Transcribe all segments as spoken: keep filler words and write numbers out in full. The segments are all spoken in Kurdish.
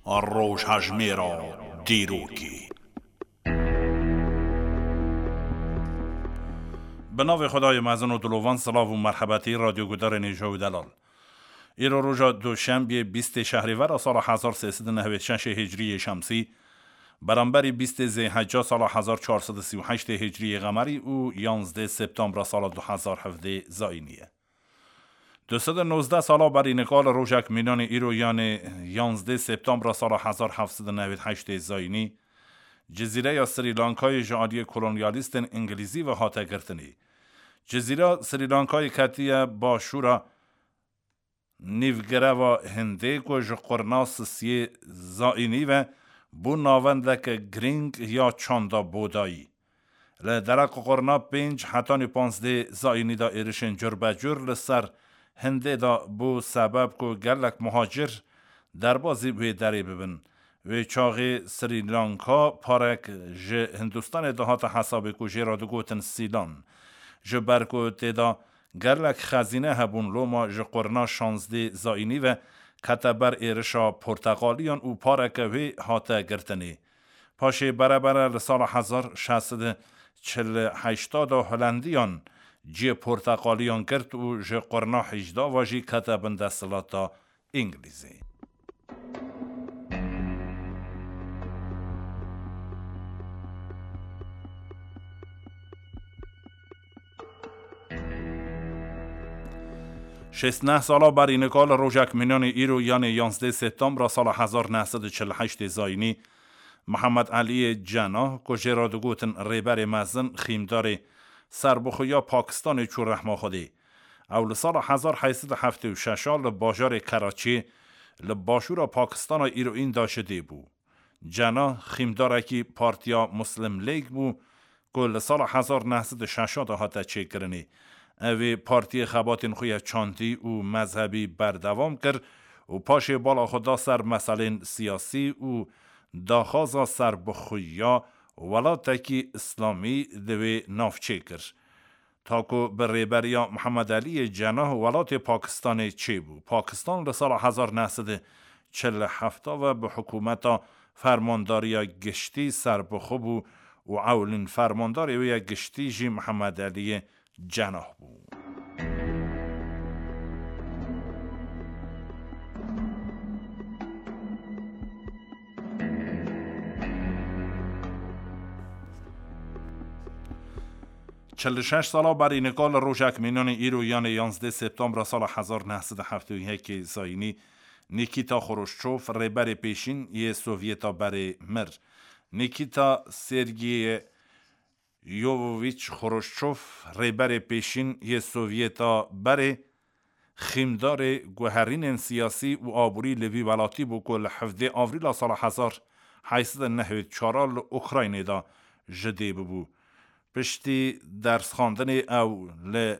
Rojhejmêra dîrokê. Bi navê Xwedayê mezin û dilovan, silav û merhebetî radyogudarên hêja û delal. Îro roja Duşembiyê bîstê Şehrîvera sala hezar sê sed û nehwêd şeşê Hicriyê Şemsî, beramberî bîstê Zêhecca sala hezar çar sed û sî û heştê Hicriyê Qemerî û yanzdê Septembra sala du hezar hevdê Zayînî ye. Du sed û nozdeh sala berî nika li rojek mînanê îro, yanê yanzdê Septembra sala hezar heft sed û newêd heştê Zayînî, Cizîreya Srî Lankayê ji aliyê kolonyalîstên Îngilîzî ve hate girtinê. Cizîra Srî Lankayê ketiye başûra nîvgireva Hindê ku ji qurna sisiyê Zayînî ve bû navendeke girîng ya çanda bodayî. Li derek qurna pênc hetanî panzdeh Zayînî de êrişên curbecur li ser Hindê de bû sebeb ku gelek muhacir derbazî wê derê bibin. Wê çaxê Srî Lanka parek ji Hindistanê dihate hesabê ku jê re digotin Sîlan. Ji ber ku tê de gelek xezîne hebûn, loma ji qurna şanzdeh Zayînî ve kete ber êrişa porteqaliyan û pareke wê hate girtinê. Paşê berebere li sala hezar şeş sed û çil û heşt de Holendiyan cihê porteqaliyan girt û ji qurna hejda ve jî kete bin desthilata Îngilîzî. Şêst neh sala berî nika li rojek mînanê îro, yanê yanzdeh Septembra sala hezar neh sed û çil û heştê Zayînî, Mihemed Eliyê Cenah, ku jê re digotin Rêberê Mezin, xîmdarê serbixweya Pakistanê çû rehma Xwedê. Ew li sala hezar heyt sed û heftê û şeş a li bajarê Keraçiyê, li başûra Pakistana îroyîn de ji dê bû. Cenah xîmdarekî Partiya Muslim League bû, ku li sala hezar neh sed û şeş de hate çêkirinê. Ev ê partiyê xebatên xwe ya çandî û mezhebî berdewam kir û paşê bala xwe da ser meselên siyasî û daxwaza serbixweya welatekî îslamî di wê navçê kir. Ta ku bi rêberiya Mihemed Eliyê Cenah welatê Pakistanê çêbû. Pakistan li sala hezar neh sed û çil û heft ve bi hikûmeta fermandariya giştî serbixwe bû û ewilîn fermandarê wê ya giştî jî Mihemed Eliyê Cenah bû. Çil û şeş sala berî nika li rojek mînanê îro, yanê yanzdeh Septembra sala hezar neh sed û heftê û yekê Zayînî, Nikîta Xruşçov, rêberê pêşîn yê Sovyeta berê, mir. Nikîta Sergeyê Yovovîç Xruşçov, rêberê pêşîn yê Sovyeta berê, xîmdarê guherînên siyasî û aborî li vî welatî bû ku li hevdê Avrîla sala hezar heyt sed û nehwêd çar a li Ukraynê de ji dê bibû. Piştî dersxwendinê ew li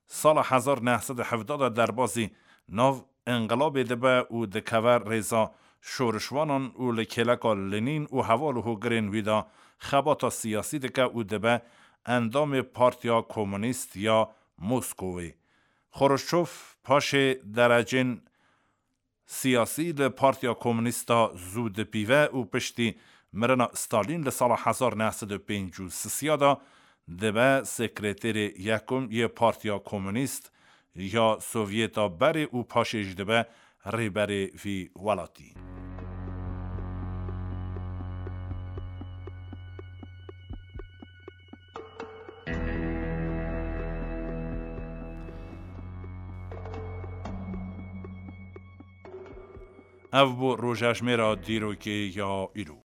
sala hezar neh sed û hevdeh de derbazî nav înqilabê dibe û dikeve rêza şorişvanan û li kêleka Lenîn û heval û hogirên wî de xebata siyasî dike û dibe endamê Partiya Komunîst ya Moskowê. Xruşçov paşê derecên siyasî li Partiya Komunîst de zû dipîve û piştî mirina Stalîn li sala hezar neh sed û pêncî û sisiya de dibe sekreterê yekum yê Partiya Komunîst ya Sovyeta berê û paşê jî dibe rêberê vî welatî. Ev bû rojejmêra dîrokê ya îro.